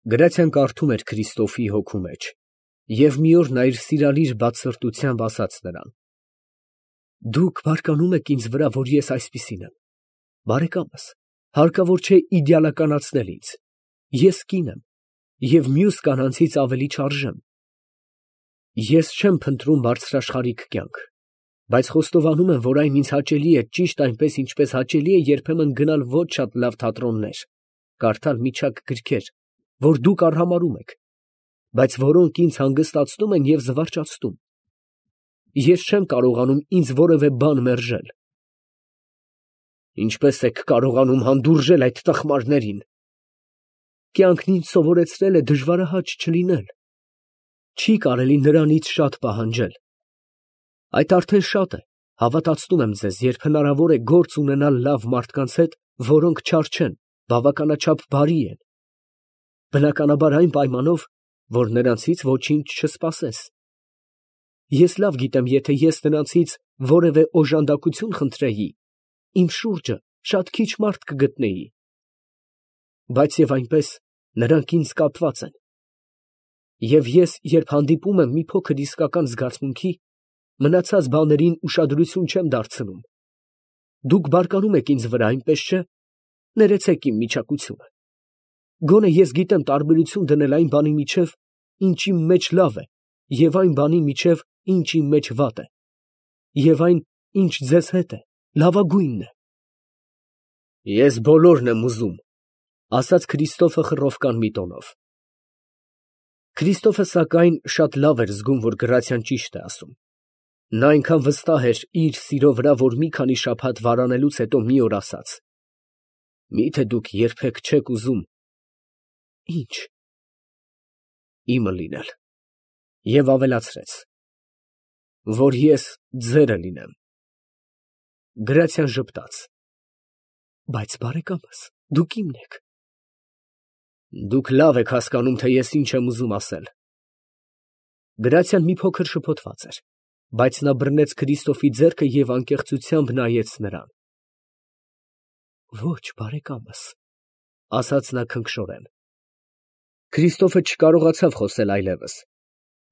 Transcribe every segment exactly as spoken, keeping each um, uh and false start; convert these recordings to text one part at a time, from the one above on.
Գրացիան կարդում էր Քրիստոֆի հոգու մեջ և մի օր նա իր սիրալիր բացսրտությամբ ասաց նրան. «Դուք բարկանում եք ինձ վրա, որ ես այսպիսին եմ, բարեկամս, հարկավոր չէ իդեալականացնել ինձ, ես կին եմ և մյուս կանանցից ավելի չարժեմ։ Ես չեմ փնտրում բարձրաշխարհիկ կյանք, բայց խոստովանում եմ, որ այն ինձ հաճելի է ճիշտ այնպես, ինչպես հաճելի է երբեմն գնալ ոչ շատ լավ թատրոններ, կարդալ մի չափ գրքեր, որ դուք արհամարհում եք, բայց որոնք ինձ հանգստացնում են և զվարճացնում։ Ես չեմ կարողանում ինձ որևէ բան մերժել»։ «Ինչպե՞ս եք կարողանում հանդուրժել այդ տխմարներին»։ «Կյանքն ինձ սովորեցրել է դժվարահաճ չլինել. չի կարելի նրանից շատ պահանջել։ Այդ արդեն շատ է, հավատացնում եմ ձեզ, երբ հնարավոր է գործ ունենալ լավ մարդկանց հետ, որոնք չար չեն, բավականաչափ բարի են, բնականաբար այն պայմանով, որ նրանցից ոչինչ չսպասես։ Ես լավ գիտեմ, եթե ես նրանցից որևէ օժանդակություն խնդրեի, իմ շուրջը շատ քիչ մարդ կգտնեի, բայց և այնպես նրանք ինձ կապված են։ Եվ ես, երբ հանդիպում եմ մի փոքր իսկական զգացմունքի, մնացած բաներին ուշադրություն չեմ դարձնում։ Դուք բարկանում եք ինձ վրա, այնպես չէ՞։ Ներեցեք իմ միչակությունը։ Գոնե ես գիտեմ տարբերություն դնել այն բանի միջև, ինչ իմ մեջ լավ է, և այն բանի միջև, ինչ իմ մեջ վատ է, և այն, ինչ ձեզ հետ է, լավագույնն է»։ «Ես բոլորն եմ ուզում», ֊ ասաց Քրիստոֆը խռովական մի տոնով։ Քրիստոֆը, սակայն, շատ լավ էր զգում, որ Գրացիան ճիշտ է ասում։ Նա այնքան վստահ էր իր սիրո վրա, որ մի քանի շաբաթ վարանելուց հետո մի օր ասաց. «Մի՞թե դուք երբեք չեք ուզում»։ «Ի՞նչ»։ «Իմը լինել»։ Եվ ավելացրեց. «Որ ես ձերը լինեմ»։ Գրացիան ժպտաց. «Բայց բարեկամս, դուք իմն եք»։ «Դուք լավ եք հասկանում, թե ես ինչ եմ ուզում ասել»։ Գրացիան մի փոքր շփոթված էր, բայց նա բռնեց Քրիստոֆի ձեռքը և անկեղծությամբ նայեց նրան։ «Ոչ, բարեկամս», ֊ ասաց նա քնքշորեն։ Քրիստոֆը չկարողացավ խոսել այլևս։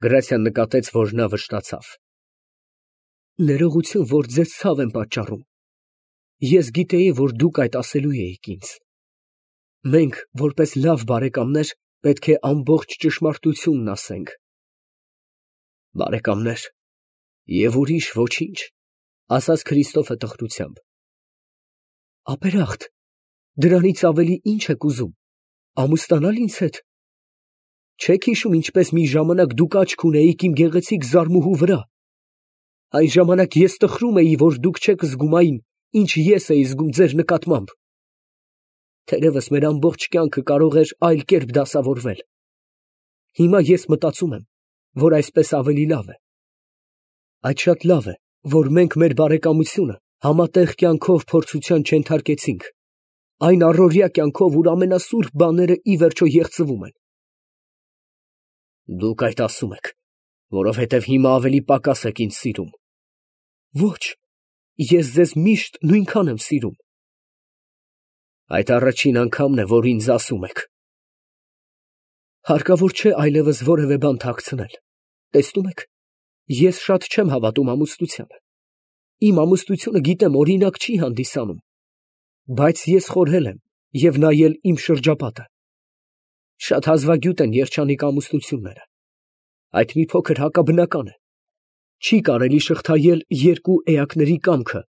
Գրացիան նկատեց, որ նա վշտացավ։ «Ներողություն, որ ձեզ ցավ եմ պատճառում։ Ես գիտեի, որ դուք այդ ասելու էիք ինձ։ Մենք, որպես լավ բարեկամներ, պետք է ամբողջ ճշմարտությունն ասենք»։ «Բարեկամներ և ուրիշ ոչինչ», ֊ ասաց Քրիստոֆը տխրությամբ։ «Ապերախտ, դրանից ավելի ի՞նչ եք ուզում, ամուսնանալ ինձ հետ։ Չե՞ք հիշում, ինչպես մի ժամանակ դուք աչք ունեիք իմ գեղեցիկ զարմուհու վրա։ Այն ժամանակ ես տխրում էի, որ դուք չեք զգում այն, ինչ ես էի զգում ձեր նկատմամբ։ Թերևս մեր ամբողջ կյանքը կարող էր այլ կերպ դասավորվել։ Հիմա ես մտածում եմ, որ այսպես ավելի լավ է։ Այդ շատ լավ է, որ մենք մեր բարեկամությունը համատեղ կյանքով փորձության չենթարկեցինք, այն առօրյա կյանքով, ուր ամենասուրբ բաները ի վերջո եղծվում են»։ «Դուք այդ ասում եք, որովհետև հիմա ավելի պակաս եք ինձ սիրում»։ «Ոչ, ես ձեզ միշտ նույնքան եմ սիրում»։ «Այդ առաջին անգամն է, որ ինձ ասում եք»։ «Հարկավոր չէ այլևս որևէ բան թաքցնել, տեսնում եք, ես շատ չեմ հավատում ամուսնությանը։ Իմ ամուսնությունը, գիտեմ, օրինակ չի հանդիսանում, բայց ես խորհել եմ և նայել իմ շրջապատը։ Շատ հազվագյուտ են երջանիկ ամուսնությունները։ Այդ մի փոքր հակաբնական է։ Չի կարելի շղթայել երկու էակների կամքը,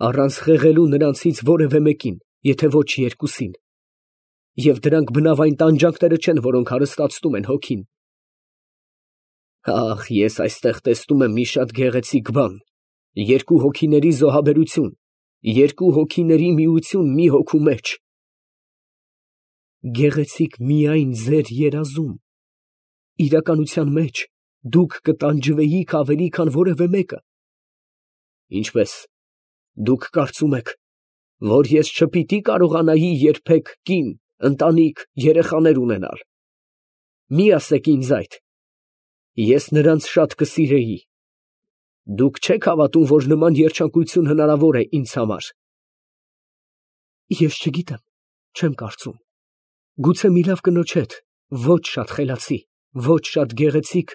առանց խեղելու նրանցից որևէ մեկին, եթե ոչ երկուսին։ Եվ դրանք բնավ այն տանջանքները չեն, որոնք հարստացնում են հոգին։ Ահ, ես այստեղ տեսնում եմ մի շատ գեղեցիկ բան, երկու հոգիների զոհաբերություն, երկու հոգիների միություն մի հոգու մեջ։ Գեղեցիկ միայն ձեր երազում։ Իրականության մեջ դուք կտանջվեիք ավելի, քան որևէ մեկը։ Ինչպես, դուք կարծում եք, որ ես չպիտի կարողանայի երբեք կին, ընտանիք, երեխաներ ունենալ։ Մի ասեք ինձ այդ։ Ես նրանց շատ կսիրեի։ Դուք չեք հավատում, որ նման երջանկություն հնարավոր է ինձ համար։ Ես չգիտեմ, չեմ կարծում։ Գուցե մի լավ կնոջ հետ, ոչ շատ խելացի, ոչ շատ գեղեցիկ,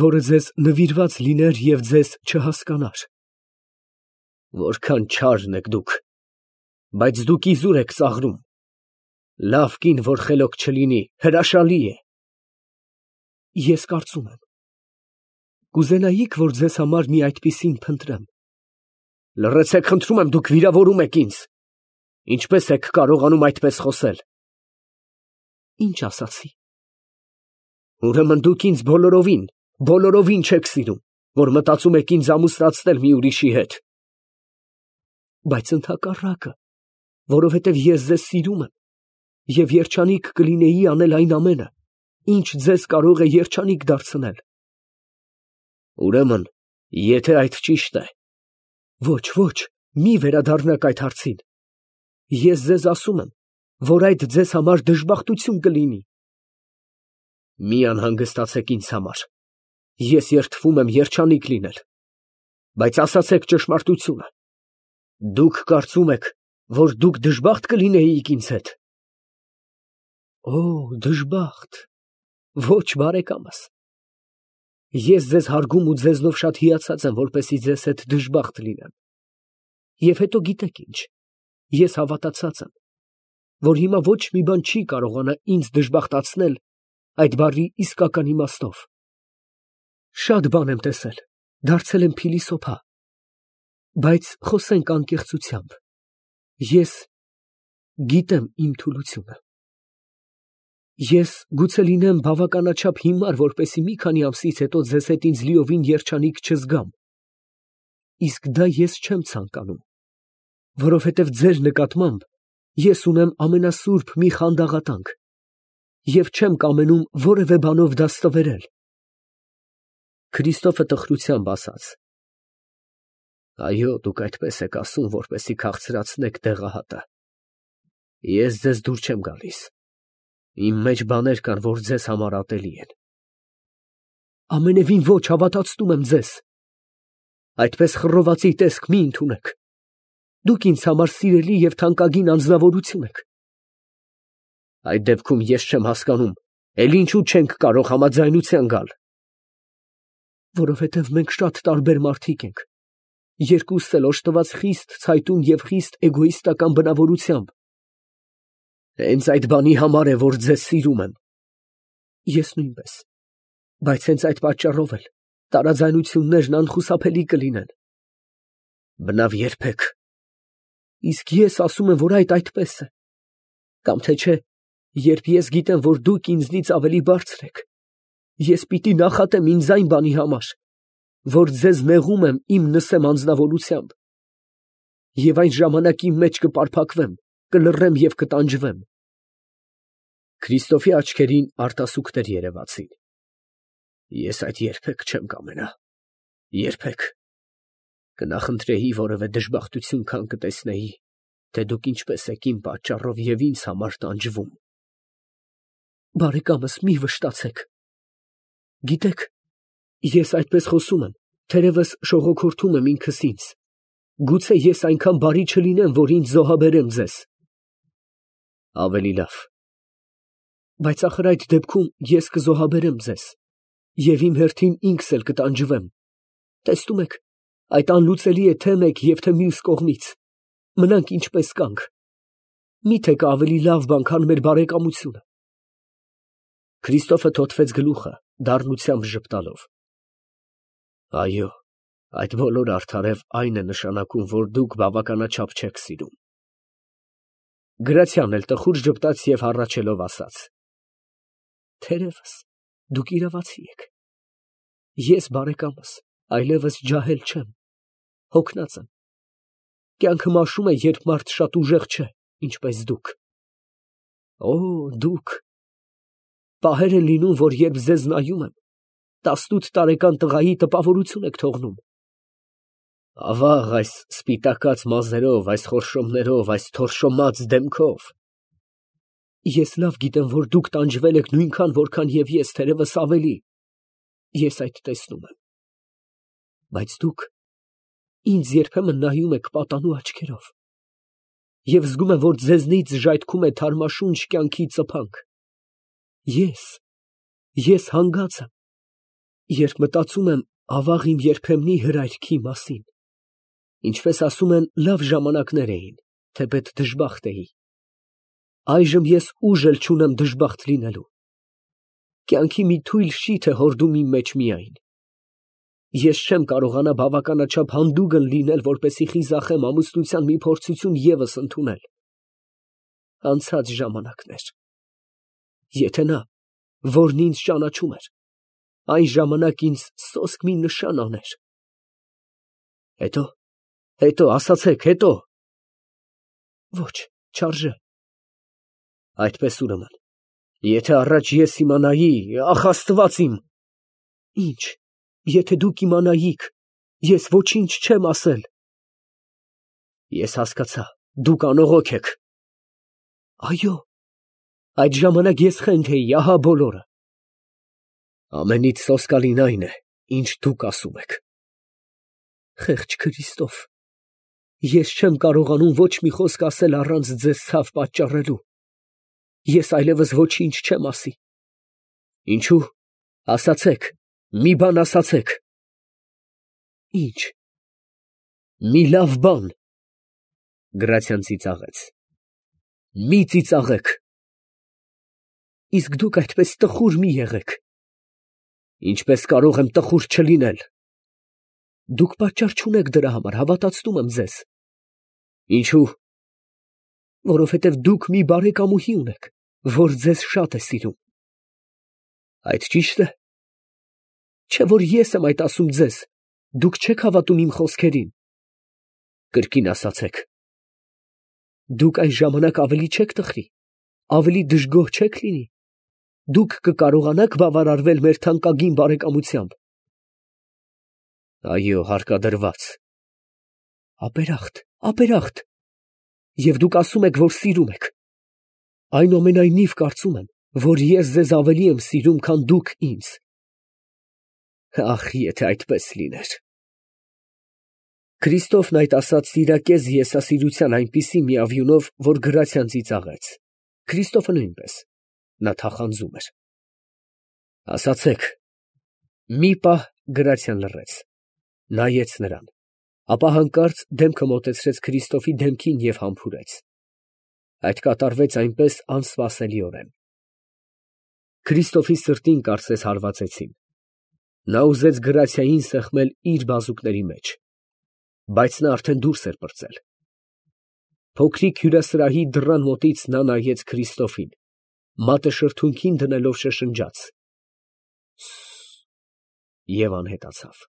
որը ձեզ նվիրված լիներ և ձեզ չհասկանար։ Որքան չարն եք դուք, բայց դուք իզուր եք ծաղրում։ Լավ կին, որ խելոք չլինի, հրաշալի է։ Ես կարծում եմ, կուզենայիք, որ ձեզ համար մի այդպիսին փնտրեմ։ Լռեցեք, խնդրում եմ, դուք վիրավորում եք ինձ։ Ինչպես եք կարողանում այդպես խոսել։ Ինչ ասացի։ Ուրեմն դուք ինձ բոլորովին, բոլորովին չեք սիրում, որ մտածում եք ինձ ամուսնացնել մի ուրիշի հետ։ Բայց ընդհակառակը, որովհետև ես ձեզ սիրում եմ, և երջանիկ կլինեի անել այն ամենը, ինչ ձեզ կարող է երջանիկ դարձնել։ Ուրեմն, եթե այդ ճիշտ է։ Ոչ, ոչ, մի վերադառնաք այդ հարցին։ Ես ձեզ ասում եմ, որ այդ ձեզ համար դժբախտություն կլինի։ Մի անհանգստացեք ինձ համար։ Ես երդվում եմ երջանիկ լինել։ Բայց ասացեք ճշմարտությունը։ Դուք կարծում եք, որ դուք դժբախտ կլինեիք ինձ հետ։ Օ, դժբախտ։ Ոչ, բարեկամս։ Ես ձեզ հարգում ու ձեզնով շատ հիացած եմ, որպեսզի ձեզ հետ դժբախտ լինեմ։ Եվ հետո գիտեք ինչ, ես հավատացած եմ, որ հիմա ոչ մի բան չի կարողանա ինձ դժբախտացնել այդ բառի իսկական իմաստով։ Շատ բան եմ տեսել, դարձել եմ փիլիսոփա, բայց խոսենք անկեղծությամբ։ Ես գիտեմ իմ թուլությունը։ Ես գուցե լինեմ բավականաչափ հիմար, որպեսզի մի քանի ամսից հետո ձեզ հետ ինձ լիովին երջանիկ չզգամ։ Իսկ դա ես չեմ ցանկանում, որովհետև ձեր նկատմամբ ես ունեմ ամենասուրբ մի խանդաղատանք և չեմ կամենում որևէ բանով դա ստվերել։ Քրիստոֆը տխրությամբ ասաց. Այո, դուք այդպես եք ասում, որպեսզի քաղցրացնեք դեղահատը։ Ես ձեզ դուր չեմ գալիս։ Իմ մեջ բաներ կան, որ ձեզ համար ատելի են։ Ամենևին ոչ, հավատացնում եմ ձեզ։ Այդպես խռովացի տեսք մի ընդունեք։ Դուք ինձ համար սիրելի և թանկագին անձնավորություն եք։ Այդ դեպքում ես չեմ հասկանում, էլ ինչու չենք կարող համաձայնության գալ։ Որովհետև մենք շատ տարբեր մարդիկ ենք, երկուսս էլ օժտված խիստ ցայտուն և խիստ էգոիստական բնավորությամբ։ Հենց այդ բանի համար է, որ ձեզ սիրում եմ։ Ես նույնպես, բայց հենց այդ պատճառով էլ տարաձայնություններն անխուսափելի կլինեն։ Բնավ երբեք։ Իսկ ես ասում եմ, որ այդ այդպես է։ Կամ թե չէ, երբ ես գիտեմ, որ դուք ինձնից ավելի բարձր եք, ես պիտի նախատեմ ինձ այն բանի համար, որ ձեզ նեղում եմ իմ նսեմ անձնավորությամբ, և այն ժամանակ իմ մեջ կպարփակվեմ, կլռեմ և կտանջվեմ։ Քրիստոֆի աչքերին արտասուքներ երևացին։ Ես այդ երբեք չեմ կամենա, երբեք։ Կնախընտրեի որևէ դժբախտություն, քան կտեսնեի, թե դուք ինչպես եք իմ պատճառով և ինձ համար տանջվում։ Բարեկամս, մի վշտացեք։ Գիտեք, ես այդպես խոսում եմ, թերևս շողոքորթում եմ ինքս ինձ։ Գուցե ես այնքան բարի չլինեմ, որ ինձ զոհաբերեմ ձեզ։ Ավելի լավ։ Բայց ախր այդ դեպքում ես կզոհաբերեմ ձեզ, և իմ հերթին ինքս էլ կտանջվեմ։ Տեսնում եք, այդ անլուծելի է թե մեկ և թե մյուս կողմից։ Մնանք ինչպես կանք։ Մի՞թե կա ավելի լավ բան, քան մեր բարեկամությունը։ Քրիստոֆը թոթվեց գլուխը, դառնությամբ ժպտալով։ Այո, այդ բոլորը արդարև այն է նշանակում, որ դուք բավականաչափ չեք սիրում։ Գրացիան էլ տխուր ժպտաց և հառաչելով ասաց. Թերևս դուք իրավացի եք։ Ես, բարեկամս, այլևս ջահել չեմ, հոգնած եմ։ Կյանքը մաշում է, երբ մարդ շատ ուժեղ չէ, ինչպես դուք։ Օ, դուք։ Պահեր են լինում, որ երբ ձեզ նայում եմ, տասնութ տարեկան տղայի տպավորություն եք թողնում։ Ավաղ, այս սպիտակած մազերով, այս խորշոմներով, այս թորշոմած դեմքով։ Ես լավ գիտեմ, որ դուք տանջվել եք նույնքան, որքան և ես, թերևս ավելի։ Ես այդ տեսնում եմ։ Բայց դուք ինձ երբեմն նայում եք պատանու աչքերով, և զգում եմ, որ ձեզնից ժայթքում է թարմաշունչ կյանքի ծփանք։ Ես, ես հանգած եմ, երբ մտածում եմ ավաղ իմ երբեմնի հրայրքի մասին, ինչպես ասում են, լավ ժամանակներ էին, թեպետ դժբախտ էի, այժմ ես ուժ էլ չունեմ դժբախտ լինելու, կյանքի մի թույլ շիթ է հորդում իմ մեջ միայն, ես չեմ կարողանա բավականաչափ հանդուգն լինել, որպեսզի խիզախեմ ամուսնության մի փորձություն ևս ընդունել, անցած ժամանակներ, եթե նա, որն ինձ ճանաչում էր, այն ժամանակ ինձ սոսկ մի նշան աներ, հետո, հետո, ասացեք, հետո, ոչ, չարժե, այդպես ուրեմն, եթե առաջ ես իմանայի, ախ Աստված իմ, ինչ, եթե դուք իմանայիք, ես ոչինչ չեմ ասել, ես հասկացա, դուք անողոք եք, այո, այդ ժամանակ ես խենթ էի, ահա բոլորը, ամենից սոսկալին այն է, ինչ դուք ասում եք, խեղճ Քրիստոֆ, ես չեմ կարողանում ոչ մի խոսք ասել առանց ձեզ ցավ պատճառելու, ես այլևս ոչինչ չեմ ասի, ինչու, ասացեք, մի բան ասացեք, ինչ, մի լավ բան, Գրացիան ծիծաղեց, մի ծիծաղեք, իսկ դուք այդպես տխուր մի եղեք, ինչպես կարող եմ տխուր չլինել, դուք պատճառ չունեք դրա համար, հավատացնում եմ ձեզ, ինչու, որովհետև դուք մի բարեկամուհի ունեք, որ ձեզ շատ է սիրում, այդ ճիշտ է, չէ որ ես եմ այդ ասում ձեզ, դուք չեք հավատում իմ խոսքերին, կրկին ասացեք, դուք այս ժամանակ ավելի չեք տխրի, ավելի դժգոհ չեք լինի, դուք կկարողանաք բավարարվել մեր թանկագին բարեկամությամբ, այո, հարկադրված, ապերախտ, ապերախտ, և դուք ասում եք, որ սիրում եք, այնուամենայնիվ կարծում եմ, որ ես ձեզ ավելի եմ սիրում, քան դուք ինձ, ախ, եթե այդպես լիներ, Քրիստոֆն այդ ասաց սիրակեզ եսասիրության այնպիսի միավյունով, որ Գրացիան ծիծաղեց, Քրիստոֆը նույնպես, նա թախանձում էր, ասացեք, մի պահ Գրացիան լռեց, նայեց նրան, ապա հանկարծ դեմքը մոտեցրեց Քրիստոֆի դեմքին և համբուրեց, այդ կատարվեց այնպես անսպասելիորեն, Քրիստոֆի սրտին կարծես հարվածեցին, նա ուզեց Գրացիային սեղմել իր բազուկների մեջ, բայց նա արդեն դուրս էր պրծել, փոքրիկ հյուրասրահի դռան մոտից նա նայեց Քրիստոֆին, մատը շրթունքին դնելով շշնջաց. և անհետացավ։